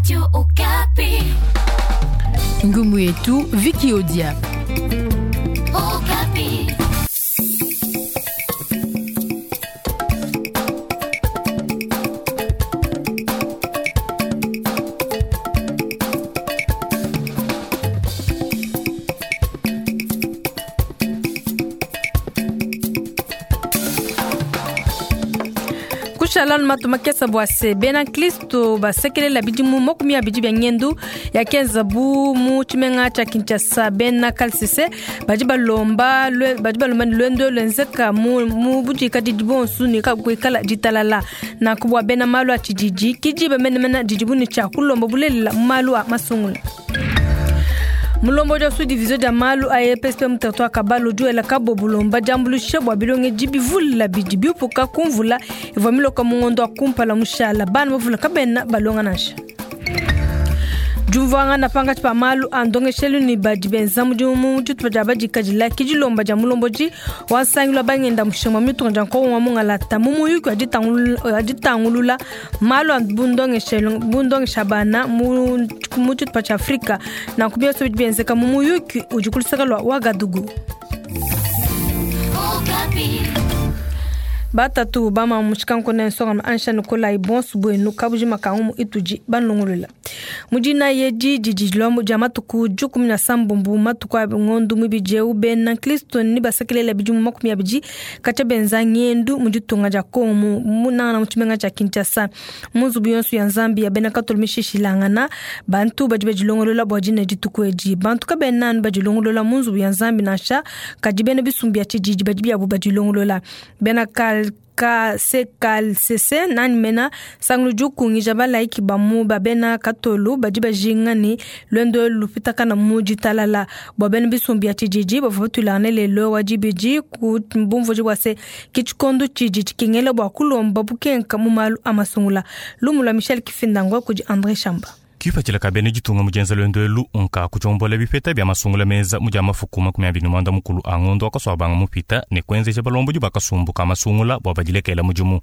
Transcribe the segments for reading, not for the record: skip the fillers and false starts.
Radio Okapi. Ngumu yetu Vicky Odia. Okapi. Kushalanu matu makesa bua se bena nkristo basekelela bidimu makumi abidi bia ngendu yakenzabu mu tshimenga tshia Kinshasa. Bena kalsese badi balomba badi balomba ne luendu luenzeka mu mu budikadidi bonso ne kuikala ditalala. Nanku bua bena malu a tshididi kidiba menemene didibu ne tshia kulomba bulelela mu malu a masungula. Mulombodi wa sous-division dia malu a EPSP mu territoire Kabalo udi wela kabo bulomba diambuluisha bua bilongedi bivula bidi biupuka ku mvula ivua miloka mu ngondo wa kumpala mushala. Bana bavula kabena balonga nansha. Diumvuangana pankatshi pa malu a ndongeshelu ne badi benza mudimu mu tshitupa dia badikadila ke dilomba dia mulombodi wa nsangilu wa bangenda mushinga wa mitunga dia nkongo wa mungalata mu muyuki wa ditangulula malu a bundongeshelu bundongesha bana mu mu tshitupa tshia Afrika. Nanku bionso bidi bienzeka mu muyuki udi ku luseke lua Ouagadougou. Okapi. Batatu bamamu mutshikanko ne nsonga ansha Nikolai bonso buenu kabujima ka ngumu itudi banlongolola. Mu dinayi edi didi dilombo dia matuku 17 matuku a ngondo muibidi eu bena nkristo ne basekelela bidimu 20 katshia benza ngendu mu ditunga dia Kongo mu nangana mu tshimenga tshia Kinshasa. Mu nzubu yonso ya Nzambi ya bena katolo mishishilangana bantu badi badilongolola bua dina dituku edi. Bantu kabena anu badilongolola mu nzubu ya Nzambi nansha, kadi bena bisumbu bia tshididi badi biabu badilongolola. Bena kal KCKLCC nani mena sangulu dikungija balaiki ba mu ba bena katolo badi bajinga ne luendu lupitakana mu ditalala bua bena bisumbu bia tshididi bavua batulangane lelo wa dibidi ku bumvuji bua se ke tshikondo tshidi tshikengela bua kulomba bukenka mu malu a masungula. Lumu lua Michel Kifindangwa kudi André Chamba. Kipatshila ka bena ditunga mu dienza luendu elu nka kutshiombola bipeta bia masungula meza mu dia mafuku 29 a ngondo akaswabanga mupita ne kuenzeja balombodi bakasumbu ka masungula bua badilekela mudimu.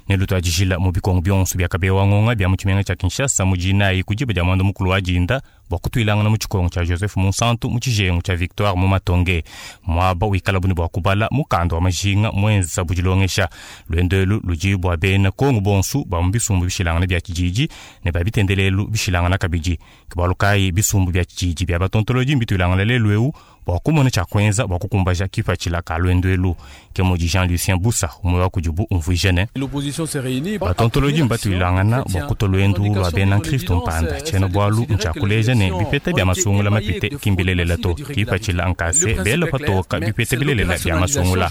Ne lutuadijila mu bikongo bionso bia kabewa ngonga bia mu tshimenga tshia Kinshasa mu dinayi ku diba dia mwanda mukulu wa dinda bua kutuilangana mu tshikongo tshia Joseph Monsanto mu tshijengu tshia Victoire mu Matonge. Muaba wikala buni bua kubala mukanda wa majinga mwenza budilongesha. Luendu elu ludi bua bena Kongo bonso ba mu bisumbu bishilangana bia tshididi ne ba bitendelelu bishilangana kabidi. Ke bualu kayi bisumbu bia tshididi bia batontolodi mbituilangana lelu eu bua kumona tshia kuenza bua kukumbaja kipatshila ka luendu elu. Ke mudi Jean-Lucien Bussa umwe wa kudibu umvuija ne L'opposition s'est réunie. Batontolodi mbatuilangana bua kutua luendu lua bena nkristo mpanda. Tshiena bualu ntshia kuleja ne bipeta bia masungula mapite kimbilelela to. Kipatshila nkase bela patoka bipeta bilelela bia masungula.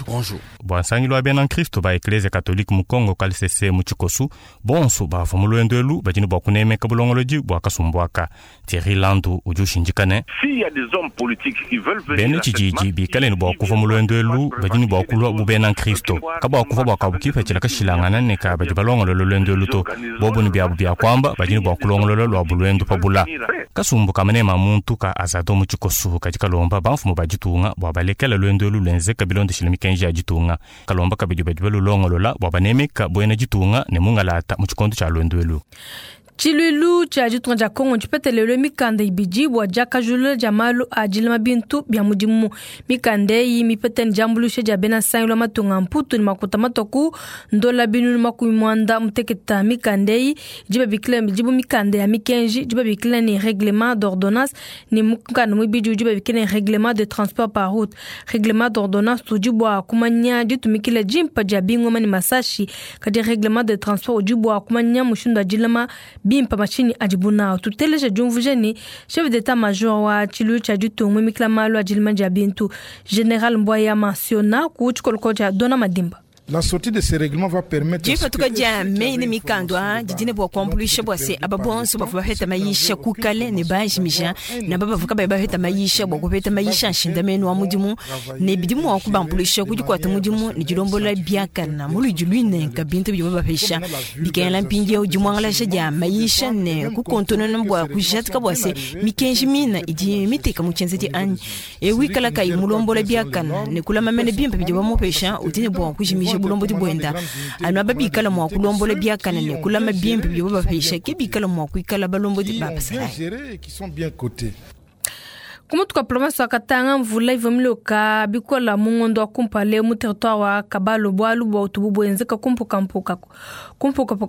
Bua nsangilu wa bena nkristo ba Eklezia Katolike mu Kongo KLCC mu tshikosu, bonso bavua mu luendu elu badi ne bua kunemeka bulongolodi bua kasumbu aka. Thierry Landu udi ushindika ne S'il y a des hommes politiques qui veulent venir bena à cette tshididi marche, bikale ne bua kuva mu luendu elu badi ne bua kulua bu bena nkristo. Kabua kuva bua kabu kipatshila kashilangana ne ka badi balongolola luendu elu to. Bobu ne biabu bia kuamba badi ne bua kulongolola lua buluendu pa bula. Kasumbu ka manema muntu ka azado mu tshikosu kadi kalomba bamfumu ba ditunga bua balekela luendu elu luenzeka bilondeshile mikenji ya ditunga. Kalomba kabidi badi balulongolola bua banemeka buena ditunga ne mungalata mu tshikondo tshia luendu elu. Tshiluilu tshia ditunga dia Kongo ntshipetele mikanda ibidi bua diakajulula dia malu a dilama bintu bia mudimu. Mikanda eyi mipete ne diambuluisha dia bena nsangilu wa matunga a Mputu ne makuta matoku ndola 960. Mikanda eyi idi babikila idi bu mikanda ya mikenji, idi babikila ne règlement d'ordonnance, ne mukanda muibidi udi babikila ne règlement de transport par route. Règlement d'ordonnance udi bua kumanya ditumikila dimpa dia bingoma ne masashi, kadi règlement de transport udi bua kumanya mushindu wa dilama bimpa mashinyi adibu nawu. Tuteleja diumvuija ne chef d'état-major wa tshiluilu tshia ditunga muimikila malu a dilama dia bintu Général Mbwaya Mansiona ku tshikoloko tshia Dona Madimba. La sortie de ces règlements va permettre Dipatuka dia meyi ne mikanda aa didi ne bua kuambuluisha bua se aba bonso bavua bapeta mayisha ku kale ne bajimija ne aba bavua kabayi bapeta mayisha bua kupeta mayisha a nshindamenu wa mudimu ne bidi mua kubambuluisha ku dikuata mudimu ne dilombola biakana mu luidi luinenka bintu bidibo bapesha. Bikengela mpindieu dimuangalasha dia mayisha ne kukontonona bua kujatika bua se mikenji mina idi miteka mu tshienzedi anyi. Eu wikala kayi mulombola biakana ne kulama mene bimpe bidibo bamupesha udi ne bua kujimija kujikija bulombodi buenda. Anu aba bikala mua kulombola biakane ne kulama bimpe bidibo bapesha ke bikala mua kuikala balombodi ba basalayi. Kumutu kwa province wa Katanga, mvula ivua miloka bikola mu ngondo wa kumpala mu territoire wa Kabalo, bualu bua utubu buenzeka kumpukapuka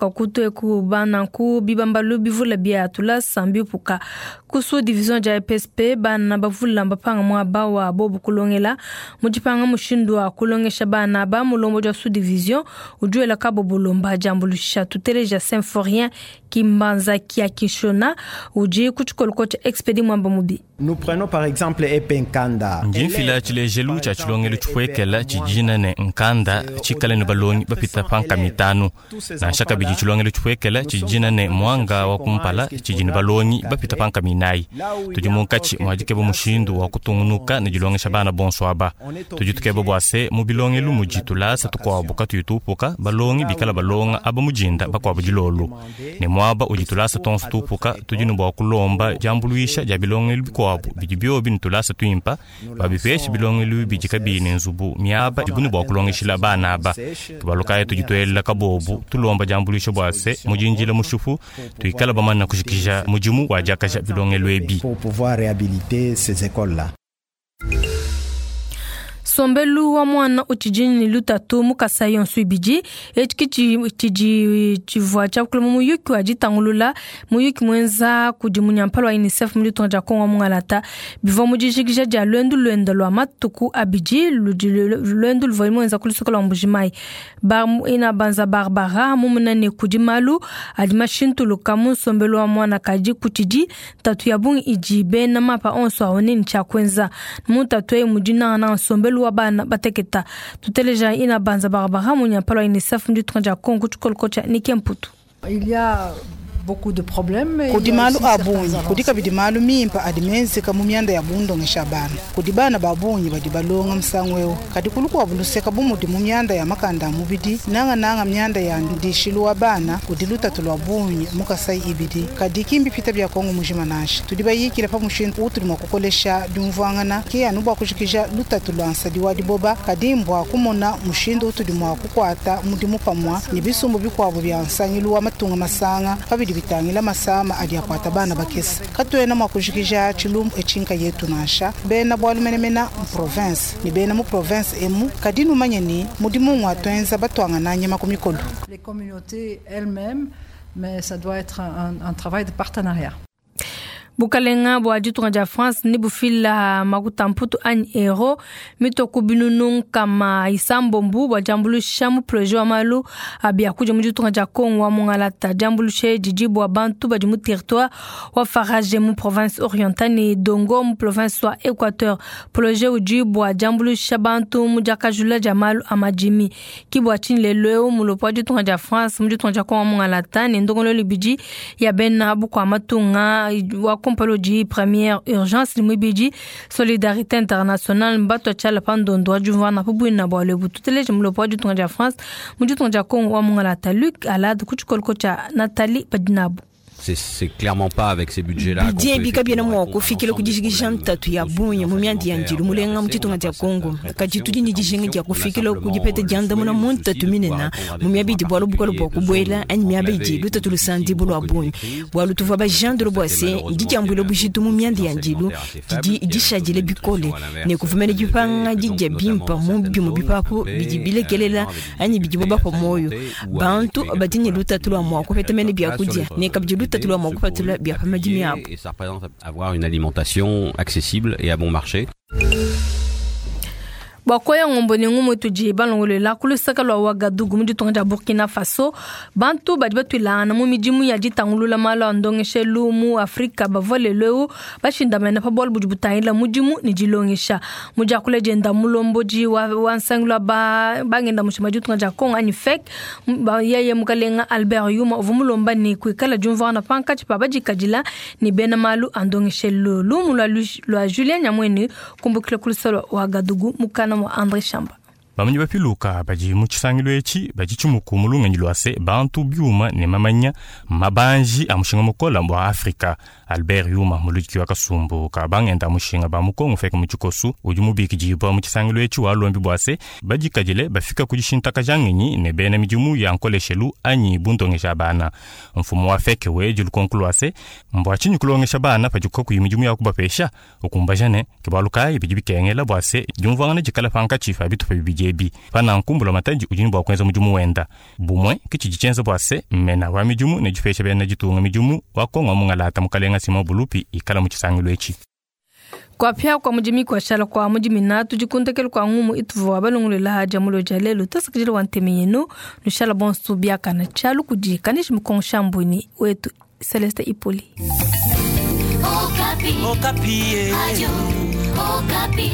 kutu eku bananku bibambalu bivula bia tulasa mbipuka. Ku sous division dia EPSP, bana bavula mbapanga muaba wa bobu kulongela mu dipanga mushindu wa kulongesha bana ba mulombodi wa sous division udi wela kabo bulomba diambuluisha. Tuteleja Symphorien Kimbanza kia Kishona udi ku tshikolo tshia Expedi Mwamba Mubi. Nous prenons par exemple Epe Nkanda. Ndi mfila tshilejelu tshia tshilongelu tshipuekela tshidina ne Nkanda tshikale ne balongi bapita panka mitanu. Nansha kabidi tshilongelu tshipuekela tshidina ne Mwanga wa kumpala tshidi ne balongi bapita panka minayi. Tudi munkatshi muadikeba mushindu wa kutungunuka ne dilongesha bana bonso aba. Tudi tukeba bua se mu bilongelu mudi tulasa tukuabu katuyi tupuka, balongi bikala balonga aba mujinda bakuabu dilolo. Ne muaba udi tulasa tonso tupuka, tudi ne bua kulomba diambuluisha dia bilongelu bikuabu bidi biobi ne tulasa tuimpa, babipesha bilongelu bidi kabiyi ne nzubu miaba idibu ne bua kulongeshila bana aba. Tubalukayi tudi tuelela kabobu tulomba diambuluisha bua se mudinjila mushupu tuikala bamana kujikija mudimu wa diakaja bilongelu ebi. Pour pouvoir réhabiliter ces écoles-là. Sombelu wa mwana utshidi ne lutatu mu Kasai yonso ibidi etshi tshidi tshivua tshiakula mu muyuki wa ditangulula muyuki muenza kudi munyampala wa UNICEF mu ditunga dia Kongo wa Mungalata. Bivua mu dijikija dia luendu luenda lua matuku abidi luendu luvua muenza ku luseke lua Mbujimayi. Ina Banza Barbara mumuna ne kudi malu adi mashintuluka mu nsombelu wa mwana kadi kutshidi ntatu ya bungi idi bena mapa onso aone ne tshia kuenza. Mu ntatu eyi mudi nangananga nsombelu wa bana bateketa. Tuteleja Ina Banza Barbara munyampala wa UNICEF mu ditunga dia Kongo ku tshikolo tshia Nike Mputu. Il y a beaucoup de problèmes. Kudi malu a bungi, kudi kabidi malu mimpe adi menzeka mu mianda ya bundongesha bana. Kudi bana ba bungi badi balonga musangu eu, kadi kulukuabu luseka bu mudi mu mianda ya makanda a mubidi, nangananga mianda ya ndishilu wa bana, kudi lutatu lua bungi mu Kasai ibidi. Kadi kimbi pita bia Kongo mujima nansha. Tudi bayikila pa mushindu utudi mua kukolesha diumvuangana, ke anu bua kujikija lutatu lua nsadi wa diboba, kadi mbua kumona mushindu utudi mua kukuata mudimu pamua ne bisumbu bikuabu bia nsangilu wa matunga masanga pabidi bitangila masama adi akwata bana bakese. Katuena mua kujikija tshilumbu etshinka yetu nansha. Bena bualu menemena mu province ne bena mu province emu, kadi numanye ni mudimu ngwa tuenza batuangana nyama ku mikolo. Les communautés elles-mêmes, mais ça doit être un travail de partenariat. Bukalenga bua ditunga dia France ne bufila makuta mputu anyi euro mitoku binunu nkama isambombu bua diambuluisha mu projet wa malu a biakudia mu ditunga dia Kongo wa Mungalata. Diambuluisha didi bua bantu badi mu territoire wa Farage mu province orientale ne Dongo mu province wa Équateur. Projet udi bua diambuluisha bantu mu diakajula dia malu a madimi. Ki bua tshinyi lelu eu mulopo wa ditunga dia France mu ditunga dia Kongo wa Mungalata ne ndongololo ibidi ya bena bukua matunga wa Kompalodi première urgence limwibidi solidarité internationale mbato tshala pandondo adjuvana pubuina bwa lebu tuteleje mulopo wa ditunga dia France mu ditunga dia Kongo wa Mungalata. Luc Alad ku tshikolo tshia Nathalie Padinabu. C'est clairement pas avec ces budgets-là. Bidie bikabiena mua kufikila kudijikija ntatu ya bungi mu mianda ya ndilu mulenga mu ditunga dia Kongo. Kadi tudi ne dijinga dia kufikila kudipeta diandamuna mu ntatu minene mu miaba idi bualu bukole bua kubuela anyi miaba idi lutatu lusandibu lua bungi. Bualu tuvua bajandula bua se didiambuila bujitu mu mianda ya ndilu didi dishadile bikole ne kuvumela dipanga didia bimpa mu bimue bipapu bidi bilekelela anyi bidibo bapua muoyo. Bantu badi ne lutatu lua mua kupeta mene biakudia ne kabidi lutatu Et ça représente avoir une alimentation accessible et à bon marché. Bakoya ngombo ne ngumu tudi balongolela ku lusaka lua Ouagadougou mu ditunga dia Burkina Faso. Bantu badi batuilangana mu midimu ya ditangulula malu a ndongeshelu mu Afrika bavua lelu eu bashindamena pa bualu budi butangila mudimu ne dilongesha. Mu diakula dienda mulombodi wa nsangilu wa bangenda mushima ditunga dia Kongo anyi FEC, yeye mukalenga Albert Yuma uvua mulomba ne kuikala diumvuangana pankatshi pa badikadila ne bena malu a ndongeshelu. Lumu lua Julien Nyamwene kumbukila ku lusaka lua Ouagadougou mukana André Chamba. Bamanyi bapiluka badi mu tshisangilu etshi badi tshimuku mu lungenyi lua se bantu biuma ne mamanya mabanji a mushinga mukola bua Afrika. Albert Yuma muludiki wa kasumbu ka bangenda a mushinga ba mu Kongo FEC mu tshikosu udi mubikidibua mu tshisangilu etshi walombi bua se badikadile bafika ku dishintakaja ngenyi ne bena midimu ya nkoleshelu anyi bundongesha bana. Mfumu wa FEC wedi lukonko lua se mbua tshinyi kulongesha bana padiku kakuyi midimu ya kubapesha ukumbaja ne ke bualu kayi bidi bikengela bua se diumvuangana dikala pankatshi pa bitupa bibidi ebi. Pananku mbulamatadi udi ne bua kuenza mudimu wenda bumue ke tshidi tshienza bua se mmena wa midimu ne dipesha bena ditunga midimu wa Kongo mungalata mukalenga Simon Bulupi ikala mu tshisangilu etshi. Kuapia kwa mudimi kuashala kwa mudimi na tudikundekelu kwa ngumu ituvua balongolela dia mulo dia lelu tasakidila wa ntemi yenu nushala bonso biakana tshialu kudi kanishi mukongo shambuni wetu Celeste Ipoli. Okapi. Okapi. Radio Okapi.